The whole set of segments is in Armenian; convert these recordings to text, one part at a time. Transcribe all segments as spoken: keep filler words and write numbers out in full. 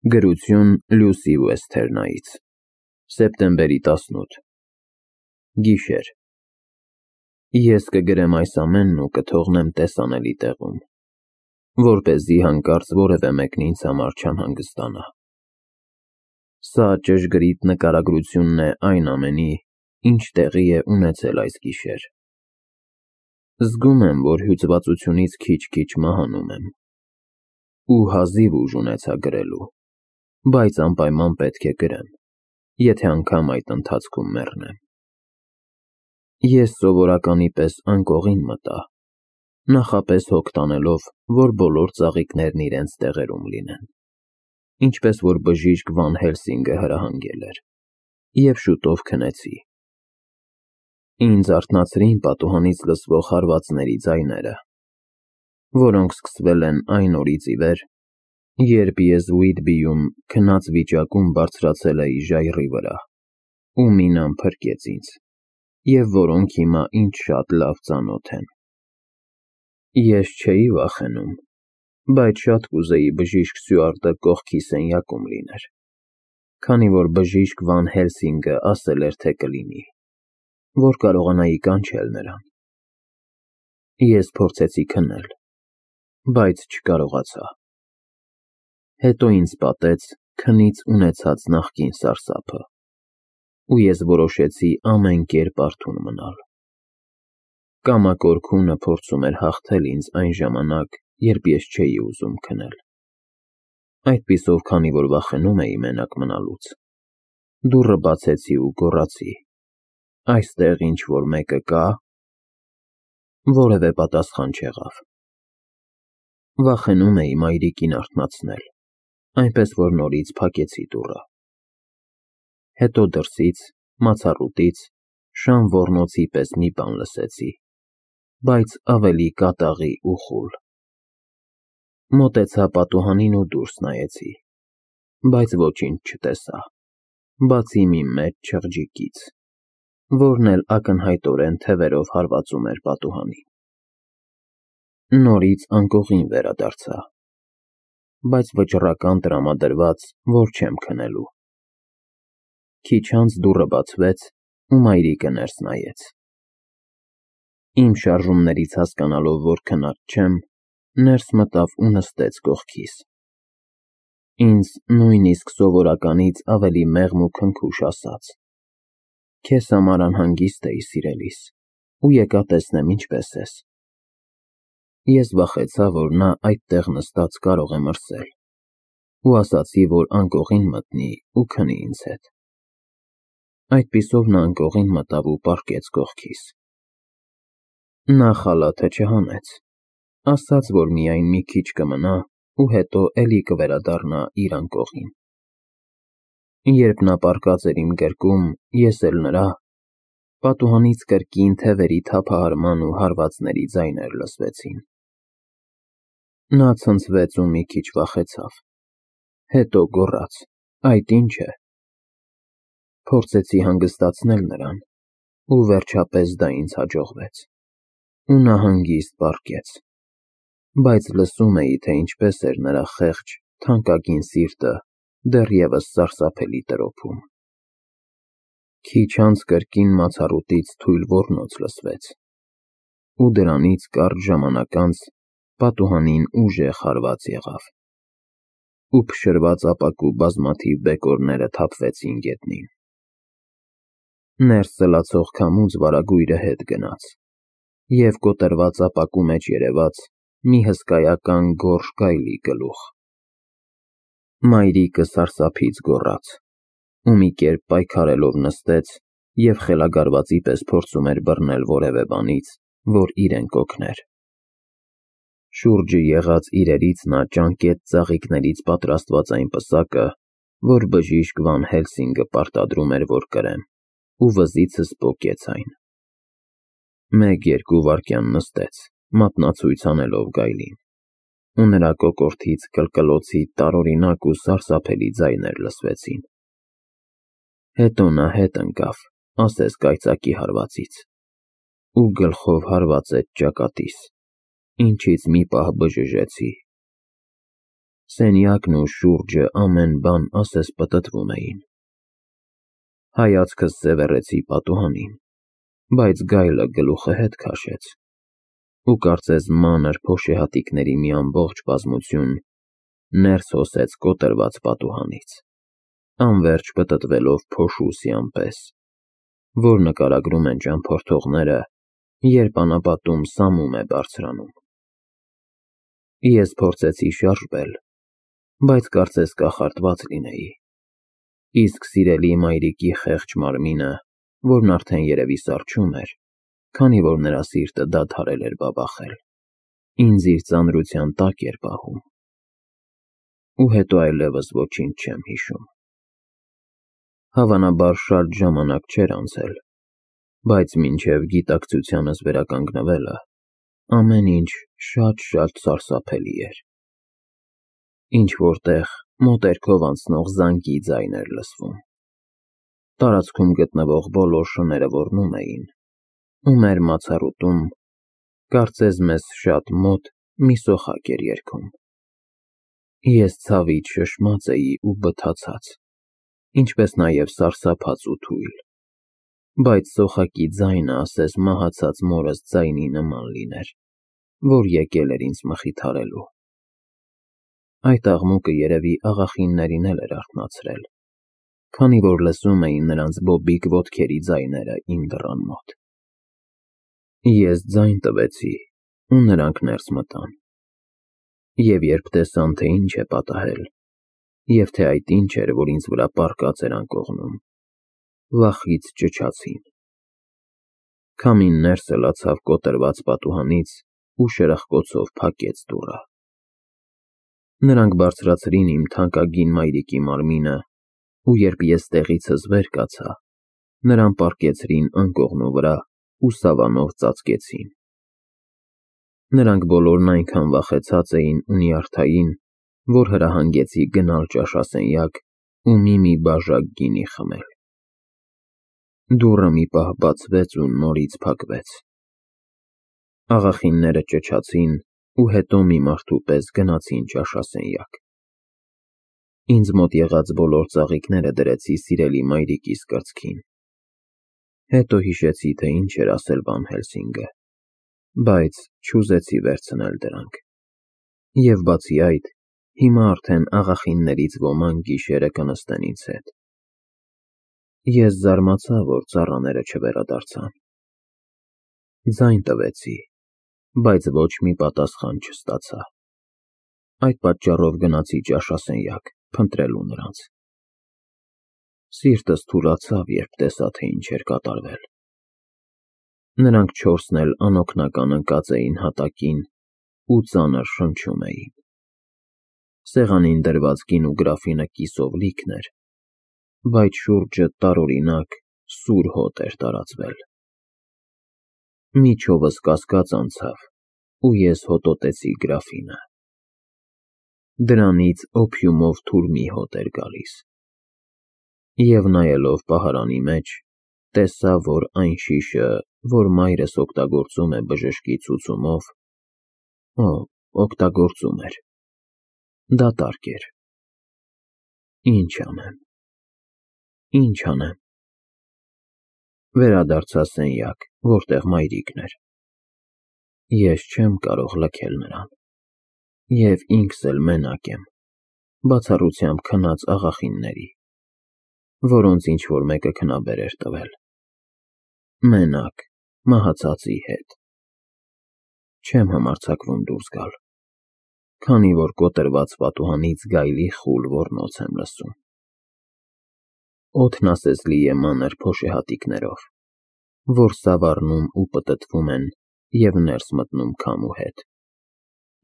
Գրություն Լուսի Ուեսթերնայից, սեպտեմբերի տասնութ, գիշեր։ Ես կգրեմ այս ամենն ու կթողնեմ տեսանելի տեղում, որպեսզի հանկարծ որևէ մեկն ինձ համար չանհանգստանա։ Սա ճշգրիտ նկարագրությունն է այն ամենի, ինչ տեղի է ունեցել այս գիշեր։ Զգում եմ, որ հյուծվածությունից քիչ-քիչ մահանում եմ, ու հազիվ ուժ ունեցա գրելու, բայց անպայման պետք է գրեմ, եթե անգամ այդ ընթացքում մեռնեմ։ Ես սովորականի պես անկողին մտա, նախապես հոգ տանելով, որ բոլոր ծաղիկներն իրենց տեղերում լինեն, ինչպես որ բժիշկ Վան Հելսինգը հրահանգել էր, և շուտով քնեցի։ Ինձ արթնացրին պատուհանից լսվող հարվածների ձայները, որոնք սկսվել են այն օրից ի վեր, երբ ես Ուիթբիում քնած վիճակում բարձրացել էի ժայռի վրա, ու մինան փրկեց ինձ, և որոնք հիմա ինձ շատ լավ ծանոթ են։ Ես չէի վախենում, բայց շատ կուզեի բժիշկ Սյուարտը կողքի սենյակում լիներ, քանի որ բժիշկ Վան Հելսինգը ասել էր, թե կլինի, որ կարողանայի կանչել նրան։ Ես փորձեցի քնել, բայց չկարողացա։ Հետո ինձ պատեց քնից ունեցած նախկին սարսափը, ու ես որոշեցի ամեն կերպ արթուն մնալ։ Կամակոր քունը փորձում էր հաղթել ինձ այն ժամանակ, երբ ես չէի ուզում քնել։ Այդպիսով, քանի որ վախենում էի մենակ մնալուց, դուռը բացեցի ու գոռացի. «Այստեղ ինչ-որ մեկը կա՞»։ Որևէ պատասխան չեղավ։ Վախենում էի մայրիկին արթնացնել, այնպես որ նորից փակեցի դուռը։ Հետո դրսից, մացառուտից, շան ոռնոցի պես մի բան լսեցի, բայց ավելի կատաղի ու խուլ։ Մոտեցա պատուհանին ու դուրս նայեցի, բայց ոչինչ չտեսա, բացի մի մեծ չղջիկից, որն էլ ակնհայտորեն թևերով հարվածում էր պատուհանին։ Նորից անկողին վերադարձա, բայց վճռական տրամադրված, որ չեմ քնելու։ Քիչ անց դուռը բացվեց, ու մայրիկը ներս նայեց։ Իմ շարժումներից հասկանալով, որ քնած չեմ, ներս մտավ ու նստեց կողքիս։ Ինձ նույնիսկ սովորականից ավելի մեղմ ու քնքուշ ասաց. «Քեզ համար անհանգիստ էի, սիրելիս, ու եկա տեսնեմ ինչպես ես»։ Ես վախեցա, որ նա այդտեղ նստած կարող է մրսել, ու ասացի, որ անկողին մտնի ու քնի ինձ հետ։ Այդպիսով նա անկողին մտավ ու պառկեց կողքիս։ Նա խալաթը չհանեց, ասաց, որ միայն մի քիչ կմնա ու հետո էլի կվերադառնա իր անկողին։ Երբ նա պառկած էր իմ գրկում, ես էլ նրա, պատուհանից կրկին թևերի թափահարման ու հարվածների ձայներ լսվեցին։ Նա ցնցվեց ու մի քիչ վախեցավ, հետո գոռաց. «Այդ ի՞նչ է»։ Փորձեցի հանգստացնել նրան, ու վերջապես դա ինձ հաջողվեց, ու նա հանգիստ պառկեց, բայց լսում էի, թե ինչպես էր նրա խեղճ, թանկագին սիրտը դեռևս սարսափելի տրոփում։ Քիչ անց կրկին մացառուտից թույլ ոռնոց լսվեց, ու դրանից կարճ ժամանակ անց պատուհանին ուժեղ հարված եղավ, ու փշրված ապակու բազմաթիվ բեկորները թափվեցին գետնին։ Ներս ծլացող քամուց վարագույրը հետ գնաց, և կոտրված ապակու մեջ երևաց մի հսկայական գորշ գայլի գլուխ։ Մայրիկը սարսափից գոռաց, ու մի կերպ պայքարելով նստեց և խելագարվածի պես փորձում էր բռնել որևէ բանից, որ իրեն կօգներ։ Շուրջը եղած իրերից նա ճանկեց ծաղիկներից պատրաստված այն պսակը, որ բժիշկ Վան Հելսինգը պարտադրում էր, որ կրեմ, ու վզիցս պոկեց այն։ Մեկ֊երկու վայրկյան նստեց, մատնացույց անելով գայլին, ու նրա կոկորդից կլկլոցի տարօրինակ ու սարսափելի ձայներ լսվեցին։ Հետո նա հետ ընկավ, ասես կայծակի հարվածից, ու գլխով հարվածեց ճակատիս, ինչից մի պահ բժժեցի։ Սենյակն ու շուրջը ամեն բան ասես պտտվում էին։ Հայացքս սևեռեցի պատուհանին, բայց գայլը գլուխը հետ քաշեց, ու կարծես մանր փոշեհատիկների մի ամբողջ բազմություն ներս հոսեց կոտրված պատուհանից, անվերջ պտտվելով փոշուսյան պես, որ նկարագրում են ճամփորդողները, երբ անապատում սամում է բարձրանում։ Ես փորձեցի շարժվել, բայց կարծես կախարդված լինեի, իսկ սիրելի մայրիկի խեղճ մարմինը, որն արդեն երևի սառչում էր, քանի որ նրա սիրտը դադարել էր բաբախել, ինձ իր ծանրության տակ էր պահում։ Ու հետո այլևս ոչինչ չեմ հիշում։ Հավանաբար շատ ժամանակ չէր անցել, բայց մինչև գիտակցությանս վերականգնվելը ամեն ինչ շատ-շատ սարսափելի էր։ Ինչ-որ տեղ մոտերքով անցնող զանգի ձայն էր լսվում։ Տարածքում գտնվող բոլոր շները ոռնում էին, ու մեր մացառուտում, կարծես մեզ շատ մոտ, մի սոխակ էր երգում։ Ես ցավից շշմած էի ու բթացած, ինչպես նաև սարսափած ու թույլ, բայց սոխակի ձայնը ասես մահացած մորս ձայնի նման լիներ, որ եկել էր ինձ մխիթարելու։ Այդ աղմուկը երևի աղախիններին էլ էր արթնացրել, քանի որ լսում էին նրանց բոբիկ ոտքերի ձայները իմ դռան մոտ։ Ես ձայն տվեցի, ու նրանք ներս մտան։ Եվ երբ տեսան, թե ինչ է պատահել, և թե այդ ինչ էր, որ ինձ վրա պառկած էր անկողնում, վախից ճչացին։ Քամին ներս ելացավ կոտրված պատուհանից ու շրխկոցով փակեց դուռը։ Նրանք բարձրացրին իմ թանկագին մայրիկի մարմինը, ու երբ ես տեղիցս վեր կացա, նրան պառկեցրին անկողնու վրա ու սավանով ծածկեցին։ Նրանք բոլորն այնքան վախեցած էին ու նյարդային, որ հրահանգեցի գնալ ճաշասենյակ ու մի-մի բաժակ գինի խմել։ Դուռը մի պահ բացվեց ու նորից փակվեց։ Աղախինները ճչացին ու հետո մի մարդու պես գնացին ճաշասենյակ։ Ինձ մոտ եղած բոլոր ծաղիկները դրեցի սիրելի մայրիկիս կրծքին։ Հետո հիշեցի, թե ինչ էր ասել Վան Հելսինգը, բայց չուզեցի վերցնել դրանք։ Եվ բացի այդ, հիմա արդեն աղախիններից ոմանք գիշերը կնստեն ինձ հետ։ Ես զարմացա, որ ծառաները չվերադարձան։ Ձայն տվեցի, բայց ոչ մի պատասխան չստացա։ Այդ պատճառով գնացի ճաշասենյակ փնտրելու նրանց։ Սիրտս թուլացավ, երբ տեսա, թե ինչ էր կատարվել։ Նրանք չորսն էլ անօգնական ընկած էին հատակին ու ծանր շնչում էին։ Սեղանին դրված գինու գրաֆինը կիսով լիքն էր, բայց շուրջը տարօրինակ սուր հոտ էր տարածվել։ Միջովս կասկած անցավ, ու ես հոտոտեցի գրաֆինը։ Դրանից օփիումով թուրմի հոտ էր գալիս։ Եվ նայելով պահարանի մեջ, տեսա, որ այն շիշը, որ մայրս օգտագործում է բժշկի ցուցումով, օ, օգտագործում էր, դատարկ էր։ Ինչ անեմ, ինչ անեմ։ Վերադարձա սենյակ, որտեղ մայրիկն էր։ Ես չեմ կարող լքել նրան, և ինքս էլ մենակ եմ, բացառությամբ քնած աղախինների, որոնց ինչ-որ մեկը քնաբեր էր տվել։ Մենակ, մահացածի հետ։ Չեմ համարձակվում դուրս գալ, քանի որ կոտրված պատուհանից գայլի խուլ ոռնոց եմ լսում։ Օդն ասես լի է մանր փոշեհատիկներով, որ սավառնում ու պտտվում են և ներս մտնում քամու հետ,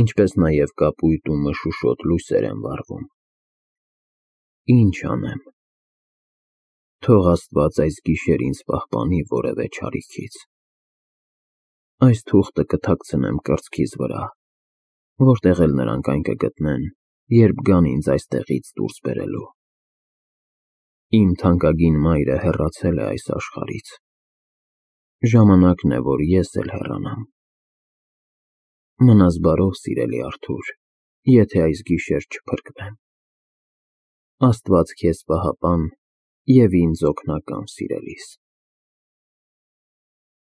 ինչպես նաև կապույտ ու մշուշոտ լույսեր են վառվում։ Ինչ անեմ։ Թող Աստված այս գիշեր ինձ պահպանի որևէ չարիքից։ Այս թուղթը կթաքցնեմ կրծքիս վրա, որտեղ էլ նրանք այն կգտնեն, երբ գան ինձ այստեղից դուրս բերելու։ Իմ թանկագին մայրը հեռացել է այս աշխարհից։ Ժամանակն է, որ ես էլ հեռանամ։ Մնաս բարով, սիրելի Արթուր, եթե այս գիշեր չփրկվեմ։ Աստված քեզ պահապան և ինձ օգնական, սիրելիս։